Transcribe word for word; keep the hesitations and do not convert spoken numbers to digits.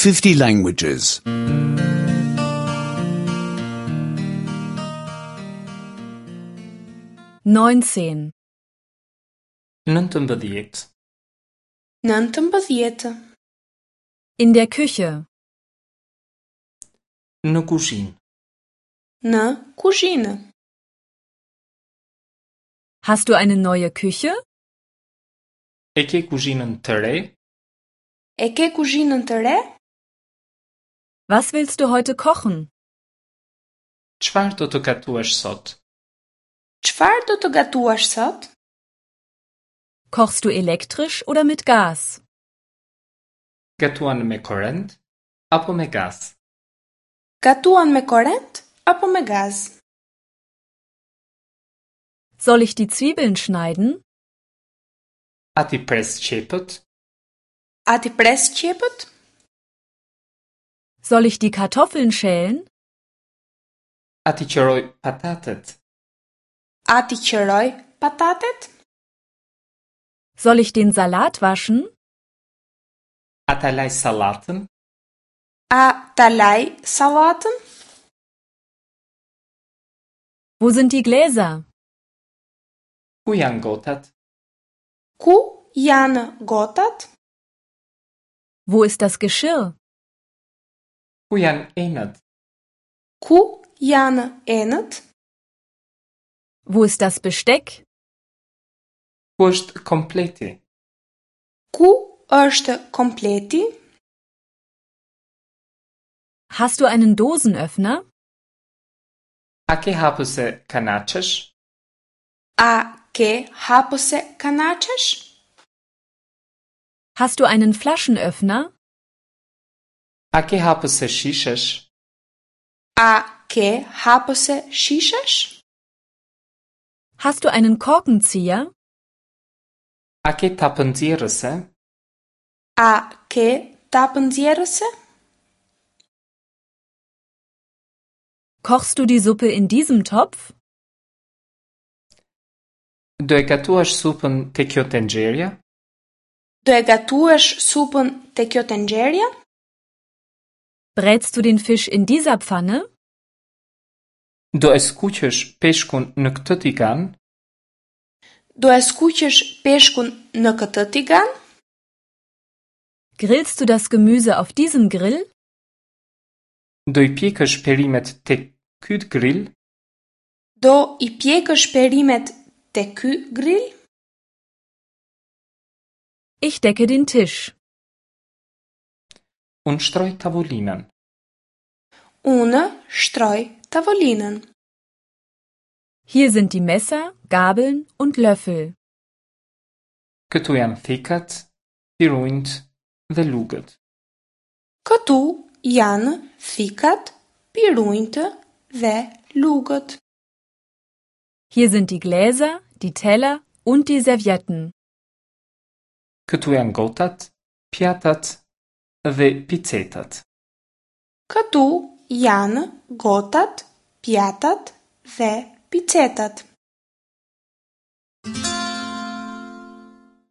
fifty languages. neunzehn, Nëntëmbëdhjetë. Nëntëmbëdhjetë. In der Küche. Në kuzhinë. Në kuzhinë. Hast du eine neue Küche? E ke kuzhinën të re? E ke kuzhinën të re? Was willst du heute kochen? Çfarë do të gatuash sot? Çfarë do të gatuash sot? Kochst du elektrisch oder mit Gas? Gatuan me korrent apo me gaz? Gatuan me korrent apo me gaz? Soll ich die Zwiebeln schneiden? A t'i pres qepët? A t'i pres qepët? Soll ich die Kartoffeln schälen? A t'i qëroj patatet? A t'i qëroj patatet? Soll ich den Salat waschen? A ta laj sallatën? A ta laj sallatën? Wo sind die Gläser? Ku janë gotat? Ku janë gotat? Wo ist das Geschirr? Ku janë enët? Ku janë enët? Wo ist das Besteck? Ku është kompleti? Ku është kompleti? Hast du einen Dosenöffner? A ke hapëse kanaçesh? A ke hapëse kanaçesh? Hast du einen Flaschenöffner? A ke hapëse shishesh? A ke hapëse shishesh? Hast du einen Korkenzieher? A ke tapënxjerrëse? A ke tapënxjerrëse? Kochst du die Suppe in diesem Topf? Do e gatuash supën te kjo tenxherja? Do e gatuash supën te kjo tenxherja? Brätst du den Fisch in dieser Pfanne? Do e skuqësh peshkun në këtë tigan? Do e skuqësh peshkun në këtë tigan? Grillst du das Gemüse auf diesem Grill? Do i pjekësh perimet te ky grill? Do i pjekësh perimet te ky grill? Ich decke den Tisch. Unë shtroj tavolinën. Unë shtroj tavolinën. Hier sind die Messer, Gabeln und Löffel. Këtu janë thikat, pirunjt dhe lugët. Këtu janë thikat, pirunjtë dhe lugët. Hier sind die Gläser, die Teller und die Servietten. Këtu janë gotat, pjatat dhe picetat. Këtu janë gotat, pjatat dhe picetat.